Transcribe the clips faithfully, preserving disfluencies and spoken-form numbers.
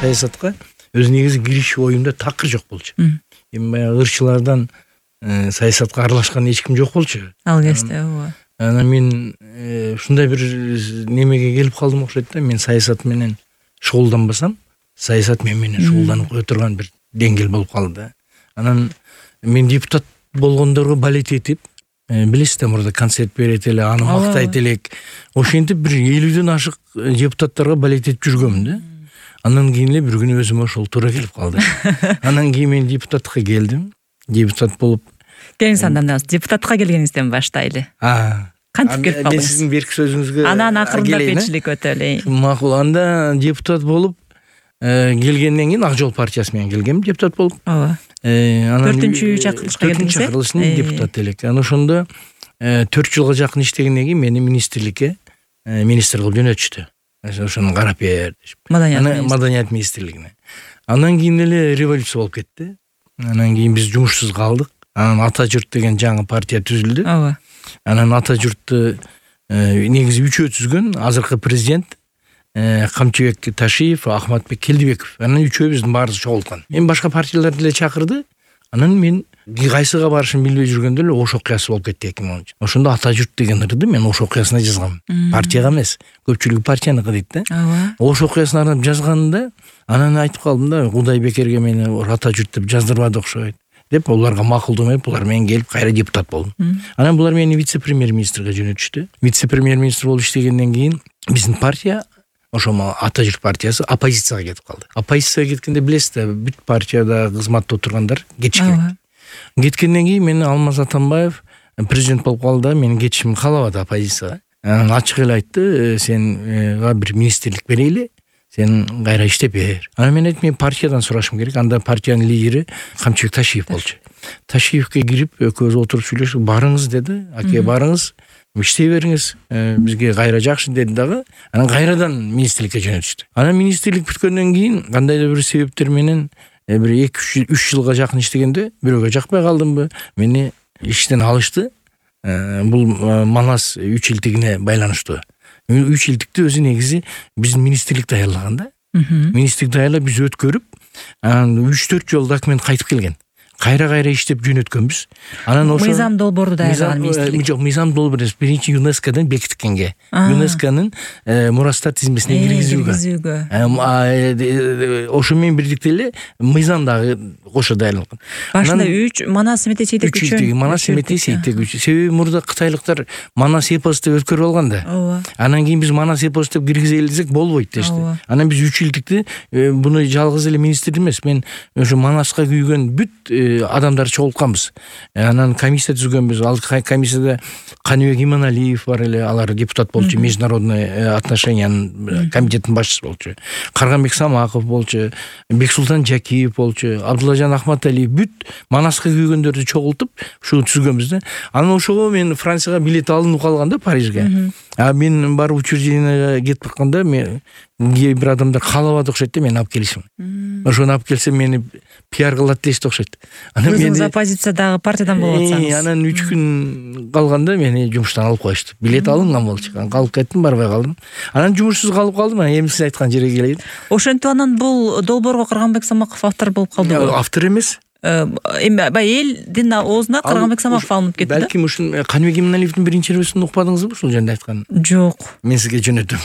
саясатка өз негизи кириши оюмда такыр жок болчу. Эми баягы ырчылардан саясатка аралашкан эч ким жок болчу. Ал кезде ооба. Анан мен ушундай бир немеге келип калдым окшойт да. Мен саясат менен шугулданбасам, саясат мен менен шугулданып кое турган бир деңгэл болуп калды. Анан мен депутат болгондорго балет этип, билесиз да, мурда концерт берет эле, аны мактайт элек. Ошентип бир элүүдөн ашык депутаттарга балет этип жүргөмүн да. Андан кийин эле бир күнү өзүмө ошол туура келип калды. Анан кийин мен депутатка келдим. Депутат болуп келиңиз, андан депутатка келгениңизден баштайлы. А, кантип келип калдыңыз? Мен сиздин берки сөзүңүзгө анан акырында бетчилик өтө эле. Макул. Анда депутат болуп келгенден кийин Ак Жол партиясы менен келгем, депутат болуп. Ооба. төртүнчү чакырылышка келдиңиз. Чакырылыштын депутаты элек. Анан ошондо төрт жылга жакын иштегенден кийин мени министрликке министр кылып жөнөтүштү. Ошону карап бер деп. Маданият министрлигине. Андан кийин эле революция болуп кетти. Анан кийин биз жумушсуз калдык. Анан Ата журт деген жаңы партия түзүлдү. Ооба. Анан Ата журтту негизи үчөө түзгөн азыркы президент Камчыбек Ташиев, Ахматбек Келдибеков. Анан үчөөбүздүн баарыбыз чогулткан. Эми башка партиялар деле чакырды. Анан мен кайсыга барышын билбей жүргөндө эле Ош окуясы болуп кетти эки миң онунчу. Ошондо Ата журт деген ырды мен Ош окуясына жазгам. Партияга эмес, көпчүлүгү партияныкы дейт да. Ооба. Ош окуясына арнап жазганымда анан айтып калдым да, Кудай бекерге мени Ата журт деп жаздырбады окшойт деп, буларга макулдумай булар менен келип кайра депутат болдум. Анан булар мени вице-премьер-министрге жөнөтүштү. Вице-премьер-министр болуп иштегенден кийин биздин партия, ошо Ата журт партиясы оппозицияга кетип калды. Оппозицияга кеткенде билесиз да, бүт партияда кызматта отургандар кетишкен. Кеткенден кийин мени Алмаз Атамбаев президент болуп калды да, менин кетишимди каалабады оппозицияга. Анан ачык эле айтты, сенга бир министрлик берели, сен кайра иштеп бер. Анан мен айттым, мен партиядан сурашым керек. Анда партиянын лидери Камчыбек Ташиев болчу. Ташиевке кирип экөөбүз отуруп сүйлөшүп, барыңыз деди. Аке, барыңыз, иштей бериңиз, бизге кайра жакшы деди дагы. Анан кайрадан министрликке жөнөтүштү. Анан министрлик бүткөндөн кийин кандайдыр бир себептер менен бир эки үч жылга жакын иштегенде бирөөгө жакпай калдымбы, мени иштен алышты. Бул Манас үч илтигине байланыштуу. үч илтикти өзү негизи биздин министрлик даярлаган да. Министрлик даярлап биз өткөрүп, анан үч төрт жолу документ кайтып келген. Кайра-кайра иштеп жөнөткөнбүз. Анан ошо мыйзам долбоорду даярлаган министрлик. Жок, мыйзам долбоор эмес, биринчи ЮНЕСКОдон бекиткенге. ЮНЕСКонун мурастар тизмесине киргизүүгө. Ошо менен бирдикте эле мыйзам дагы кошо даярлаган. Башында үч Манас Семетей Сейтек үчөө. Манас Семетей Сейтек үчөө. Себеби мурда кытайлыктар Манас эпос деп өткөрүп алган да. Ооба. Анан кийин биз Манас эпос деп киргизели десек болбойт дешти. Анан биз үч илдикти буну жалгыз эле министр эмес, мен ошо Манаска күйгөн бүт адамдар чогултканбыз. Анан комиссия түзгөнбүз. Ал комиссияда Каныбек Иманалиев бар эле, алар депутат болчу, международный отношениянын комитетинин башчысы болчу. Карганбек Самаков болчу, Бексултан Жакиев болчу, Абдуллажан Ахматалиев, бүт Манаска күйгөндөрдү чогултуп ушу түзгөнбүз да. Анан ошого мен Францияга билет алынып калган да, Парижге. А мен барып учреждениеге кетип атканда мен кээ бир адамдар каалабады окшойт да, мени алып келишим. Ошону алып келсем мени пиар кылат дешти окшойт. Анан мен оппозициядагы партиядан болуп атсаңыз. Анан үч күн калганда мени жумуштан алып коюшту. Билет алынган болчу. Калып кеттим, барбай калдым. Анан жумушсуз калып калдым. Эми сиз айткан жерге келейин. Ошентип анан бул долбоорго Карганбек Самаков автор болуп калдыбы? Автор эмес. Эми баягы элдин оозуна Карганбек Самаков алынып кетти да. Балким ушун Каныбек Иманалиевдин биринчи рөсүн укпадыңызбы ушул жөнүндө айткан? Жок. Мен сизге жөнөтөм.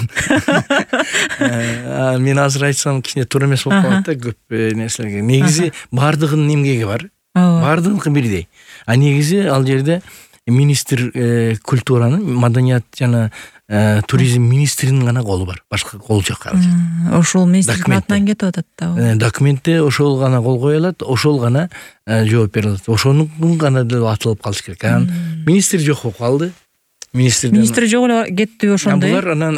Мен азыр айтсам кичине туура эмес болуп калат да, көп нерселерге. Негизи баардыгынын эмгеги бар. Баардыгыныкы бирдей. А негизи ал жерде министр культуранын, маданият жана туризм министринин гана колу бар. Башка кол жок ал жерде. Ошол министрликтин атынан кетип атат да. Документте ошол гана кол кое алат, ошол гана жооп бере алат. Ошонун гана деле атылып калыш керек. Анан министр жок болуп калды. Министр министр жок эле кетти ошондой. Булар анан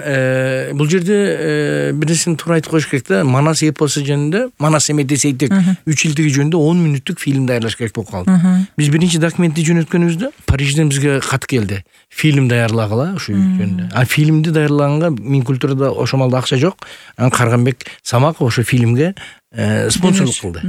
бул жерде бир нерсени туура айтып коюш керек да. Манас эпосу жөнүндө, Манас Семетей Сейтек үч илдиги жөнүндө он мүнөттүк фильм даярлаш керек болуп калды. Биз биринчи документти жөнөткөнүбүздө Парижден бизге кат келди. Фильм даярлагыла ушул жөнүндө. А фильмди даярлаганга Минкультурада ошо малда акча жок. Анан Карганбек Самаков ошо фильмге спонсорлук кылды.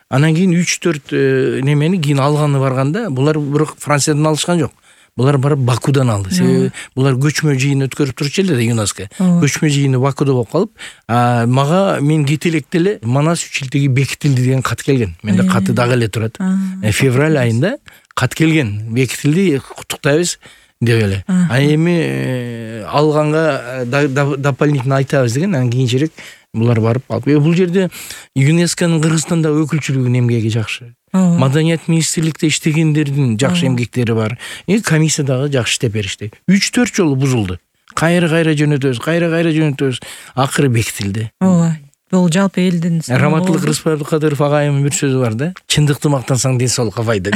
Анан кийин үч төрт немени кийин алганы барганда, булар бирок Франциядан алышкан жок. булар барып Бакудан алды. Себеби булар көчмө жыйын өткөрүп турчу эле да ЮНЕСКО. Көчмө жыйыны Бакуда болуп калып, мага мен кете электе эле Манас үч илтиги бекитилди деген кат келген. Менде каты дагы эле турат. Февраль айында кат келген. Бекитилди, куттуктайбыз деп эле. А эми алганга дополнительно айтабыз деген, анан кийинчерээк булар барып алып. Бул жерде ЮНЕСКОнун Кыргызстанда өкүлчүлүгүнүн эмгеги жакшы. Маданият министрликте иштегендердин жакшы эмгектери бар. И комиссия дагы жакшы иштеп беришти. үч төрт жолу бузулду. Кайра-кайра жөнөтөбүз, кайра-кайра жөнөтөбүз. Акыры бекитилди. Ооба. Бул жалпы элдин Раматылык Рыспай Кадыров агайымдын бир сөзү бар да. Чындыкты мактансаң ден соолукка пайда.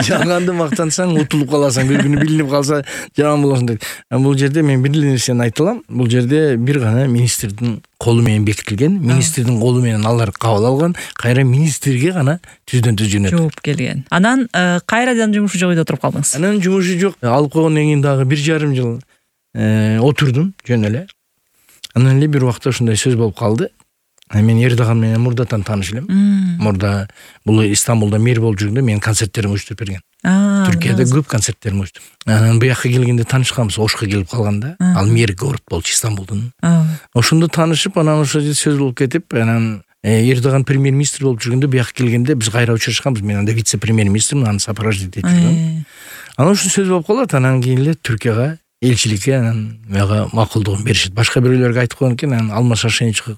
Жалганды мактансаң утулуп каласың, бир күнү билинип калса жаман болосуң дейт. Бул жерде мен бир эле нерсени айта алам. Бул жерде бир гана министрдин колу менен бекитилген, министрдин колу менен алар кабыл алган, кайра министрге гана түздөн түз жөнөтүп жооп келген. Анан кайрадан жумушу жок үйдө отуруп калдыңыз. Анан жумушу жок. Алып койгондон кийин дагы бир жарым жыл отурдум жөн эле. Анан эле бир убакта ушундай сөз болуп калды. Мен Эрдоган менен мурдатан тааныш элем. Мурда бул Истанбулда мэр болуп жүргөндө мен концерттеримди уюштуруп берген. Түркияда көп концерттерим уюштуп. Анан буяка келгенде таанышканбыз, Ошко келип калганда. Ал мэр город болчу Истанбулдун. Ошондо таанышып, анан ошо сөз болуп кетип, анан Эрдоган премьер-министр болуп жүргөндө буяка келгенде биз кайра учурашканбыз. Мен анда вице-премьер-министрмин, аны сопровождать этип жүргөм. Анан ошо сөз болуп калат, анан кийин эле Түркияга элчиликке анан мага макулдугун беришет. Башка бирөөлөргө айтып койгон экен, анан Алмаз Шашеничи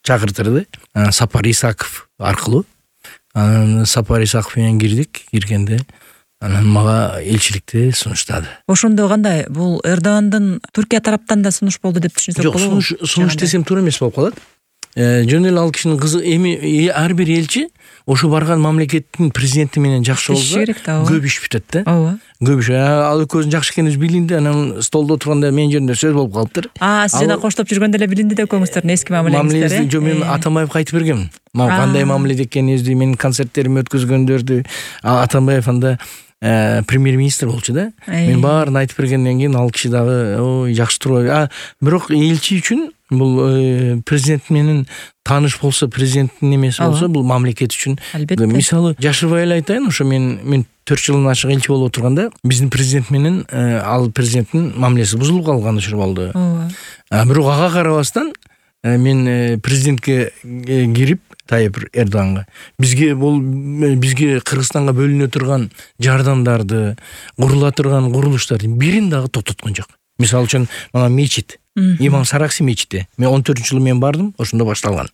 чакыртырды. Сапар Исаков аркылуу. Анан Сапар Исаков менен кирдик. Киргенде анан мага элчиликти сунуштады. Ошондо кандай? Бул Эрдогандын Түркия тараптан да сунуш болду деп түшүнсөк болобу? Жок, сунуш сунуш десем туура эмес болуп калат. Жөн эле ал кишинин кызы эми ар бир элчи ошо барган мамлекеттин президенти менен жакшы болсо көп иш бүтөт да. Ооба. Көп иш. Ал экөөсүн жакшы экенибиз билинди, анан столдо отурганда мен жөнүндө сөз болуп калыптыр. А, сиз жана коштоп жүргөндө эле билинди деп көңүңүздөрдүн эски мамилеңиздер. Жок, мен Атамбаевге айтып бергем. Кандай мамиледе экенибизди, менин концерттеримди өткөзгөндөрдү. Атамбаев анда премьер-министр болчу да. Мен баарын айтып бергенден кийин ал киши дагы ой жакшы турбайбы. А, бирок элчи үчүн бул президент менен тааныш болсо, президенттин немеси болсо, бул мамлекет үчүн. Мисалы, жашырбай эле айтайын, ошо мен мен төрт жылдан ашык элчи болуп отурганда, биздин президент менен ал президенттин мамилеси бузулуп калган учур болду. Ооба. Бирок ага карабастан мен президентке кирип Тайып Эрдоганга бизге бул бизге Кыргызстанга бөлүнө турган жардамдарды, курула турган курулуштардын бирин дагы токтоткон жок. Мисалы үчүн мага мечит, Имам Саракси мечити. Мен он төртүнчү жылы мен бардым, ошондо башталган.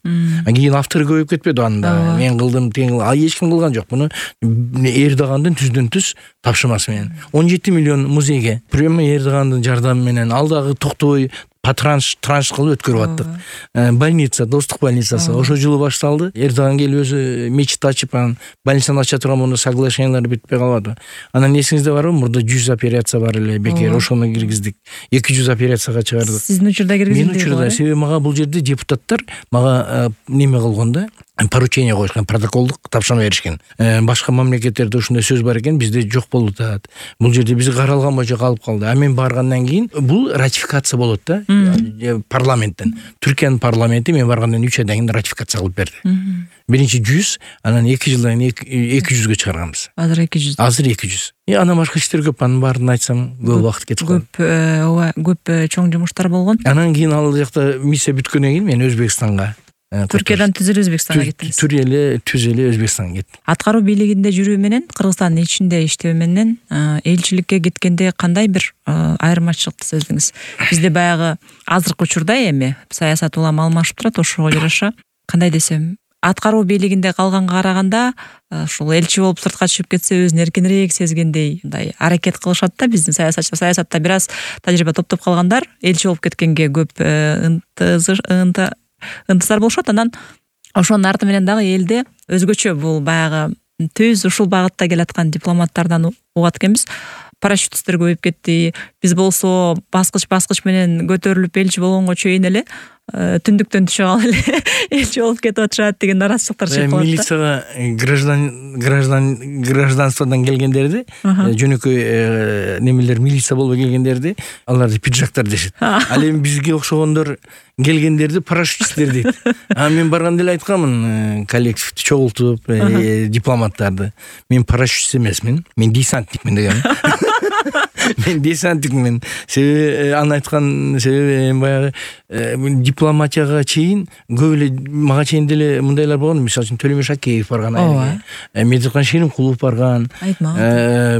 А кийин автору көбөйүп кетпеди анда. Мен кылдым, тең кылдым. А эч ким кылган жок. Муну Эрдогандын түздөн түз тапшырмасы менен. он жети миллион музейге прямо Эрдогандын жардамы менен ал дагы токтобой патранш транш кылып өткөрүп аттык. Больница, достук больницасы ошо жылы башталды. Эрдоган келип өзү мечит ачып, анан больницаны ача турган муну соглашениялар бүтпөй калбады. Анан эсиңизде барбы? Мурда жүз операция бар эле, бекер ошону киргиздик. эки жүз операцияга чыгардык. Сиздин учурда киргизилди? Мен учурда, себеби мага бул жерде депутаттар мага неме кылган да, поручение коюшкан, протоколдук тапшырма беришкен. Башка мамлекеттерде ушундай сөз бар экен, бизде жок болуп атат. Бул жерде биз каралган боюнча калып калды. А мен баргандан кийин бул ратификация болот да, парламенттен. Түркиянын парламенти мен баргандан үч айдан кийин ратификация кылып берди. Биринчи жүз, анан эки жылдан кийин эки жүзгө чыгарганбыз. Азыр эки жүз. Азыр эки жүз. И анан башка иштер көп, анын баарын айтсам көп убакыт кетип калат. Көп, ооба, көп чоң жумуштар болгон. Анан кийин ал жакта миссия бүткөндөн кийин мен Өзбекстанга, Түркиядан түз эле Өзбекстанга кеттиңиз. Түз эле, түз эле Өзбекстанга кеттим. Аткаруу бийлигинде жүрүү менен Кыргызстандын ичинде иштөө менен элчиликке кеткенде кандай бир айырмачылыкты сездиңиз? Бизде баягы азыркы учурда эми саясат улам алмашып турат, ошого жараша кандай десем, аткаруу бийлигинде калганга караганда ушул элчи болуп сыртка чыгып кетсе өзүн эркинирээк сезгендей мындай аракет кылышат да биздин саясатчы. Саясатта бир аз тажрыйба топтоп калгандар элчи болуп кеткенге көп ынты ынтызар болушат. Анан ошонун арты менен дагы элде өзгөчө бул баягы түз ушул багытта келаткан дипломаттардан угат экенбиз. Парашютисттер көбөйүп кетти. Биз болсо баскыч баскыч менен көтөрүлүп элчи болгонго чейин эле түндүктөн түшө калып эле элчи болуп кетип атышат деген наразычылыктар чыгып калат. Милицияга граждан граждан гражданстводан келгендерди, жөнөкөй немелер милиция болуп келгендерди, аларды пиджактар дешет. Ал эми бизге окшогондор келгендерди парашютисттер дейт. А мен барганда эле айтканмын, коллективди чогултуп, дипломаттарды. Мен парашютист эмесмин, мен десантникмин деген. мен десантикмин. Себеби аны айткан себеби баягы дипломатияга чейин көп эле мага чейин деле мындайлар болгон. Мисалы үчүн Төлөмөш Акеев барган, Медеткан Шеримкулов барган.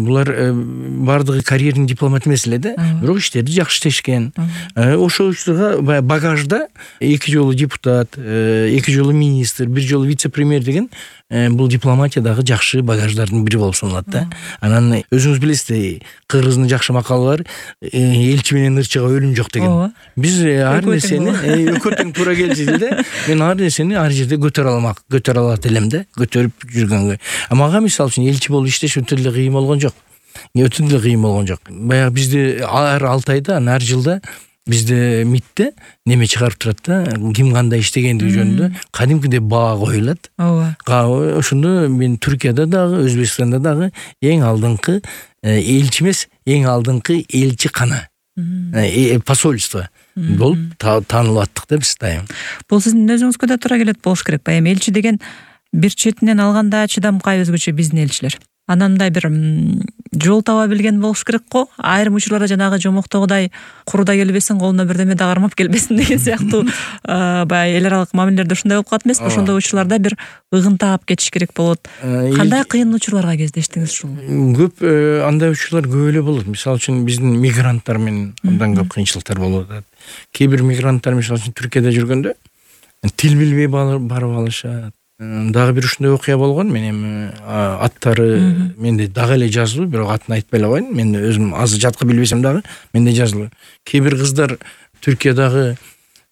Булар бардыгы карьерный дипломат эмес эле да, бирок иштерди жакшы иштешкен. Ошол учурда баягы багажда эки жолу депутат, эки жолу министр, бир жолу вице-премьер деген бул дипломатиядагы жакшы багаждардын бири болуп саналат да. Анан өзүңүз билесиз, Кыргыздын жакшы макалы бар, элчи менен ырчыга өлүм жок деген. Биз ар нерсени өкөтүң туура келчү да. Мен ар нерсени ар жерде көтөрө алмак, көтөрө алат элем да, көтөрүп жүргөнгө. А мага мисалы үчүн элчи болуп иштеш өтө эле кыйын болгон жок. Өтө эле кыйын болгон жок. Баягы бизде ар алты айда, ар жылда бизде МИДте неме чыгарып турат да, ким кандай иштегендиги жөнүндө кадимкидей баа коюлат. Ооба. Ошондо мен Түркияда дагы, Өзбекстанда дагы эң алдыңкы элчи эмес, эң алдыңкы элчи кана, посольство болуп таанылып аттык да биз дайым. Бул сиздин өзүңүзгө да туура келет болуш керек. Баягы элчи деген бир четинен алганда чыдамкай өзгөчө биздин элчилер. Анан мындай бир жол таба билген болуш керек го. Айрым учурларда жанагы жомоктогудай куруда келбесин, колуна бирдеме да кармап келбесин деген сыяктуу баягы эл аралык мамилелерде ушундай болуп калат эмеспи? Ошондой учурларда бир ыгын таап кетиш керек болот. Кандай кыйын учурларга кездештиңиз ушул? Көп андай учурлар көп эле болот. Мисалы үчүн биздин мигранттар менен абдан көп кыйынчылыктар болуп атат. Кээ бир мигранттар мисалы үчүн Түркияда жүргөндө тил билбей барып алышат. Дагы бир ушундай окуя болгон. Мен эми аттары менде дагы эле жазылуу, бирок атын айтпай эле коеюн. Мен өзүм азыр жаткы билбесем дагы менде жазылуу. Кээ бир кыздар Түркиядагы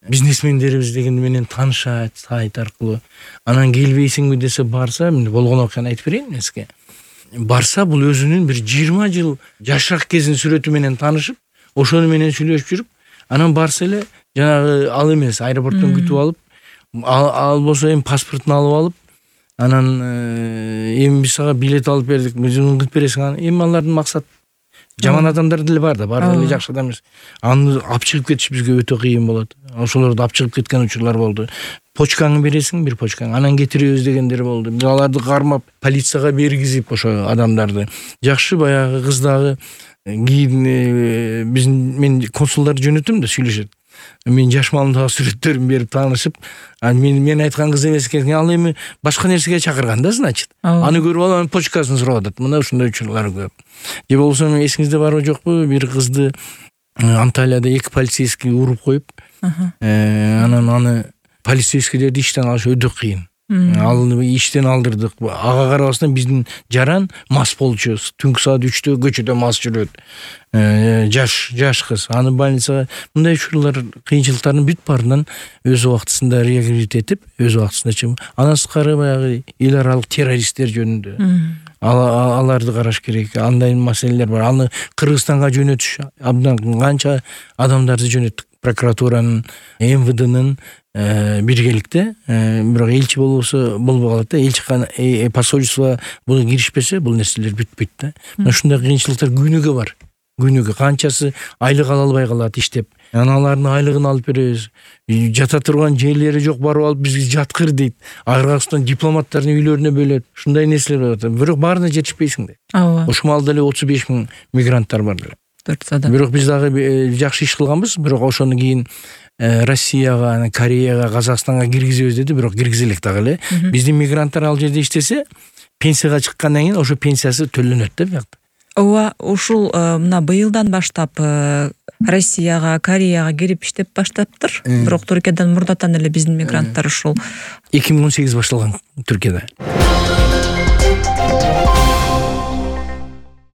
бизнесмендерибиз деген менен таанышат сайт аркылуу. Анан келбейсиңби десе барса, мен болгон окуяны айтып берейин сизге. Барса бул өзүнүн бир жыйырма жыл жашак кезин сүрөтү менен таанышып, ошону менен сүйлөшүп жүрүп, анан барса эле жанагы ал эмес, аэропорттон күтүп алып, ал болсо эми паспортун алып алып, анан эми биз сага билет алып бердик, өзүң кылып бересиң. Эми алардын максат жаман адамдар деле бар да, баары эле жакшы адам эмес. Аны алып чыгып кетиш бизге өтө кыйын болот. Ошолорду алып чыгып кеткен учурлар болду. Почкаңы бересиң, бир почкаң, анан кетиребиз дегендер болду. Биз аларды кармап, полицияга бергизип ошо адамдарды. Жакшы баягы кыз дагы кийин биздин мен консулдарды жөнөтөм да, сүйлөшөт. Мен жаш малымдагы сүрөттөрүн берип таанышып, мен мен айткан кыз эмес экен, ал эми башка нерсеге чакырган да, значит. Аны көрүп алып, анын почкасын сурап атат. Мына ушундай учурлар көп. Же болбосо эсиңизде барбы жокпу, бир кызды Анталияда эки полицейский уруп коюп, анан аны полицейскийлерди иштен алыш өтө кыйын. Ал иштен алдырдык. Ага карабастан биздин жаран мас болчу. Түнкү саат үчтө көчөдө мас жүрөт. Жаш жаш кыз. Аны больницага, мындай учурлар, кыйынчылыктардын бүт баарынан өз убактысында реабилитетип, өз убактысында чыгып, андан сырткары баягы эл аралык террористтер жөнүндө аларды караш керек. Андай маселелер бар. Аны Кыргызстанга жөнөтүш абдан канча адамдарды жөнөттүк. Прокуратуранын, эм вэ дэнын биргеликте, бирок элчи болбосо болбой калат да. Элчи посольство буга киришпесе, бул нерселер бүтпөйт да. Ушундай кыйынчылыктар күнүгө бар. Күнүгө канчасы айлык ала албай калат иштеп. Аналардын айлыгын алып беребиз. Жата турган жерлери жок, барып алып бизге жаткыр дейт. Кыргызстан дипломаттардын үйлөрүнө бөлөт. Ушундай нерселер болот. Бирок баарына жетишпейсиң да. Ооба. Ошмалда эле отуз беш миң мигранттар бар деле. Бирок биз дагы жакшы иш кылганбыз, бирок ошону кийин Россияга, Кореяга, Казакстанга киргизебиз деди, бирок киргизе элек дагы эле. Биздин мигранттар ал жерде иштесе, пенсияга чыккандан кийин ошо пенсиясы төлөнөт да биякта. Ооба, ушул мына быйылдан баштап Россияга, Кореяга кирип иштеп баштаптыр. Бирок Түркиядан мурдатан эле биздин мигранттар ушул эки миң он сегиз башталган Түркияда.